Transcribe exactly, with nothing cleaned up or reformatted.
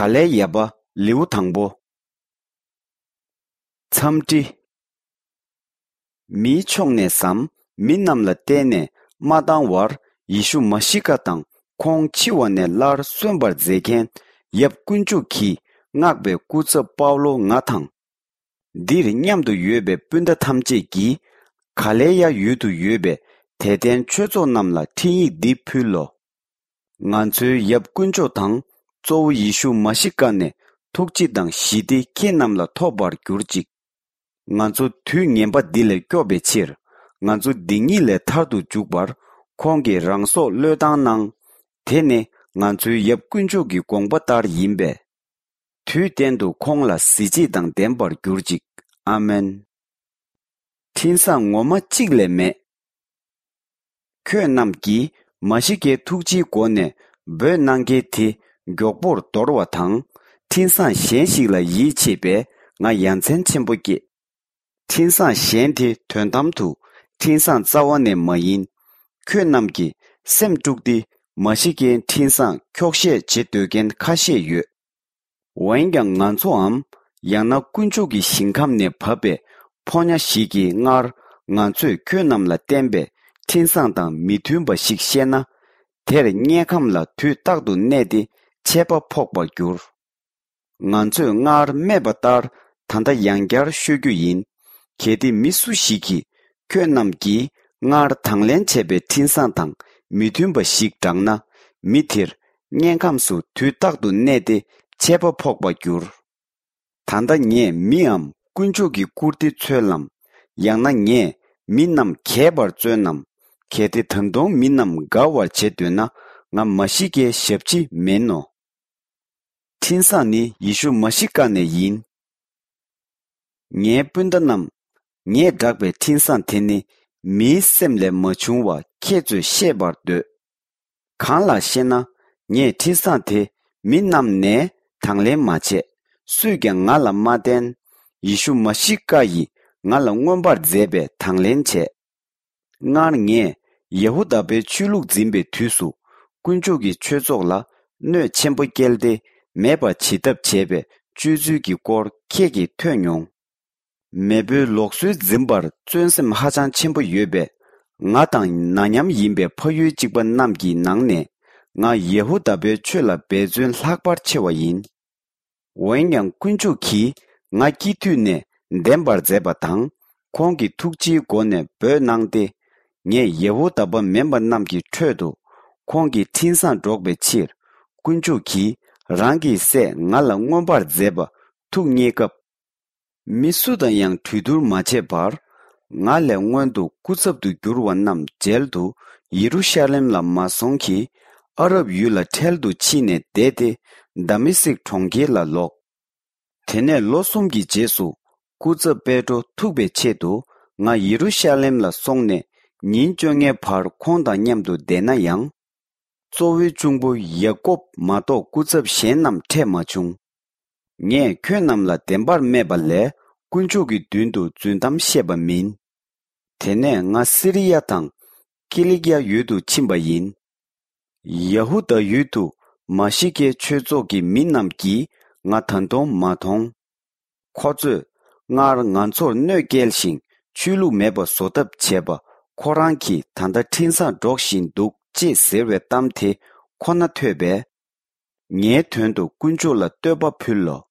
ག་ལའི་ཡ་པ་ལེའུ་དང་པོ། འཚམས་འདྲི། མིའི་ཕྱོགས་ནས་སམ་མི་རྣམས་ལ་བརྟེན་ནས་མ་བཏང་བར་ཡེ་ཤུ་མ་ཤི་ཀ་དང་ཁོང་འཆི་བ་ནས་སླར་གསོན་པར་མཛད་མཁན་ཡབ་དཀོན་མཆོག་གིས་མངགས་པའི་སྐུ་ཚབ་པའུ་ལོ་ང་དང་། འདིར་མཉམ་དུ་ཡོད་པའི་སྤུན་ཟླ་ཐམས་ཅད་ཀྱིས་ག་ལེ་ཡ་ཡུལ་དུ་ཡོད་པའི་དད་ལྡན་ཆོས་ཚོགས་རྣམས་ལ་འཕྲིན་ཡིག་འདི་ཕུལ་ལོ། ང་ཚོའི་ཡབ་དཀོན་མཆོག་དང་གཙོ་བོ་ཡེ་ཤུ་མ་ཤི་ཀ་ནས་ཐུགས་རྗེ་དང་ཞི་བདེ་ཁྱེད་རྣམས་ལ་ཐོབ་པར་གྱུར་ཅིག། ང་ཚོ་དུས་ངན་པ་འདི་ལས་སྐྱོབ་པའི་ཕྱིར། ང་ཚོ་སྡིག་ཉེས་ལས་ཐར་དུ་འཇུག་པར་ཁོང་གིས་རང་སྲོག་བློས་བཏང་གནང་། དེ་ནི་ང་ཚོའི་ཡབ་དཀོན་མཆོག་གི་དགོངས་པ་ལྟར་ཡིན་པས། དུས་གཏན་དུ་ཁོང་ལ་གཟི་བརྗིད་དང་ལྡན་པར་གྱུར་ཅིག། ཨ་མེན། འཕྲིན་བཟང་ངོ་མ་གཅིག་ལས་མེད། ཁྱོད་རྣམས་ཀྱིས་མ་ཤི་ཀའི་ཐུགས་རྗེའི་སྒོ་ནས་འབོད་གནང་མཁན་དེ་མགྱོགས་པོར་འདོར་བ་དང་། འཕྲིན་བཟང་གཞན་ཞིག་ལ་ཡིད་ཆེས་པས་ང་ཡ་མཚན་ཆེན་པོ་སྐྱེས། འཕྲིན་བཟང་གཞན་དེ་དོན་དམ་དུ་འཕྲིན་བཟང་རྩ་བ་ནས་མ་ཡིན། ཁྱོད་རྣམས་ཀྱིས་སེམས་དཀྲུགས་ཏེ་མ་ཤི་ཀའི་འཕྲིན་བཟང་འཁྱོག་བཤད་བྱེད་འདོད་མཁན་ཁ་ཤས་ཡོད། འོན་ཀྱང་ང་ཚོའམ། ཡང་ན་དཀོན་མཆོག་གི་ཞིང་ཁམས་ནས་བབས་པའི་ཕོ་ཉ་ཞིག་གིས་སྔར་ང་ཚོས་ཁྱོད་རྣམས་ལ་བསྟན་པའི་འཕྲིན་བཟང་དང་མི་མཐུན་པ་ཞིག་བཤད་ན། དེར་དམྱལ་ཁམས་ལ་དུས་རྟག་ཏུ་གནས་ཏེ་ཆད་པ་ཕོག་པར་འགྱུར། ང་ཚོས་སྔར་སྨྲས་པ་ལྟར་ད་ལྟ་ཡང་བསྐྱར་ཤོད་རྒྱུ་ཡིན། གལ་ཏེ་མི་སུ་ཞིག་གིས་ཁྱོད་རྣམས་ཀྱིས་སྔར་དང་ལེན་བྱས་པའི་འཕྲིན་བཟང་དང་མི་མཐུན་པ་ཞིག་བསྒྲགས་ན། མི་དེར་དམྱལ་ཁམས་སུ་དུས་རྟག་ཏུ་གནས་ཏེ་ཆད་པ་ཕོག་པར་འགྱུར། ད་ལྟ་ངས་མིའམ་དཀོན་མཆོག་གི་བཀུར་སྟི་འཚོལ་ལམ། ཡང་ན་ངས་མི་རྣམས་གྱེས་པར་བརྩོན་ནམ། གལ་ཏེ་ད་དུང་མི་རྣམས་དགའ་བར་བྱེད་འདོད་ན་ང་མ་ཤི་ཀའི་ཞབས་ཕྱི་མིན་ནོ། འཕྲིན་བཟང་ནི་ཡེ་ཤུ་མ་ཤི་ཀ་ནས་ཡིན། ངའི་སྤུན་ཟླ་རྣམས། ངས་བསྒྲགས་པའི་འཕྲིན་བཟང་དེ་ནི་མིའི་སེམས་ལས་མ་བྱུང་བ་ཁྱེད་ཚོས་ཤེས་པར་འདོད། གང་ལགས་ཤེ་ན། ངས་འཕྲིན་བཟང་དེ་མི་རྣམས་ནས་དང་ལེན་མ་བྱས། སུས་ཀྱང་ང་ལ་མ་བསྟན། ཡེ་ཤུ་མ་ཤི་ཀ་ཡིས་ང་ལ་མངོན་པར་མཛད་པས་དང་ལེན་བྱས། སྔར་ངས་ཡ་ཧུ་དཱ་པའི་ཆོས་ལུགས་འཛིན་པའི་དུས་སུ་དཀོན་མཆོག་གི་ཆོས་ཚོགས་ལ་གནོད་ཆེན་པོ་བསྐྱལ་ཏེ་མེད་པར་བྱེད་ཐབས་བྱས་པའི་སྤྱོད་ཚུལ་གྱི་སྐོར་ཁྱེད་ཀྱིས་ཐོས་མྱོང་། མེས་པོའི་ལུགས་སྲོལ་འཛིན་པར་བརྩོན་སེམས་ཧ་ཅང་ཆེན་པོ་ཡོད་པས། ང་དང་ན་མཉམ་ཡིན་པའི་ཕ་ཡུལ་གཅིག་པ་རྣམས་ཀྱི་ནང་ནས་ང་ཡ་ཧུ་དཱ་པའི་ཆོས་ལ་འབད་བརྩོན་ལྷག་པར་ཆེ་བ་ཡིན། འོན་ཀྱང་དཀོན་མཆོག་གིས་ང་སྐྱེས་དུས་ནས་འདེམས་པར་མཛད་པ་དང་། ཁོང་གི་ཐུགས་རྗེའི་སྒོ་ནས་འབོད་གནང་སྟེ། ངས་ཡ་ཧུ་དཱ་པ་མིན་པ་རྣམས་ཀྱི་ཁྲོད་དུ་ཁོང་གི་འཕྲིན་བཟང་སྒྲོག་པའི་ཕྱིར། དཀོན་མཆོག་གིས་རང་གི་སྲས་ང་ལ་མངོན་པར་མཛད་པ་ཐུགས་མཉེས་སྐབས། མི་སུ་དང་ཡང་གྲོས་བསྡུར་མ་བྱས་པར། ང་ལས་སྔོན་དུ་སྐུ་ཚབ་ཏུ་གྱུར་བ་རྣམས་མཇལ་དུ་ཡེ་རུ་ཤ་ལེམ་ལ་མ་སོང་གི། ཨ་རབ་ཡུལ་ལ་འཕྲལ་དུ་ཕྱིན་ནས་བསྡད་དེ་དཱ་མེ་སིག་གྲོང་ཁྱེར་ལ་ལོག། དེ་ནས་ལོ་གསུམ་གྱི་རྗེས་སུ་སྐུ་ཚབ་པེ་ཏྲོ་ཐུག་པའི་ཆེད་དུ་ང་ཡེ་རུ་ཤ་ལེམ་ལ་སོང་ནས་ཉིན་བཅོ་ལྔའི་བར་ཁོང་དང་མཉམ་དུ་བསྡད་ན་ཡང་། གཙོ་བོའི་གཅུང་པོ་ཡ་ཀོབ་མ་གཏོགས་སྐུ་ཚབ་གཞན་རྣམས་འཕྲད་མ་བྱུང་། ངས་ཁྱོད་རྣམས་ལ་བདེན་པར་སྨྲས་པ་ལས་དཀོན་མཆོག་གི་མདུན་དུ་རྫུན་གཏམ་བཤད་པ་མིན། དེ་ནས་ང་སི་རི་ཡ་དང་ཀི་ལི་ཀི་ཡ་ཡུལ་དུ་ཕྱིན་པ་ཡིན། ཡ་ཧུ་དཱ་ཡུལ་དུ་མ་ཤི་ཀའི་ཆོས་ཚོགས་ཀྱི་མི་རྣམས་ཀྱིས་ང་ད་དུང་མ་མཐོང་། ཁོ་ཚོས་སྔར་ང་ཚོར་གནོད་བསྐྱལ་ཞིང་ཆོས་ལུགས་མེད་པ་བཟོ་ཐབས་བྱས་པ་ཁོ་རང་གིས་ད་ལྟ་འཕྲིན་བཟང་སྒྲོག་བཞིན་འདུག་ཅེས་ཟེར་བའི་གཏམ་དེ་ཁོ་ན་ཐོས་པས། ངའི་དོན་དུ་དཀོན་མཆོག་ལ་བསྟོད་པ་ཕུལ་ལོ།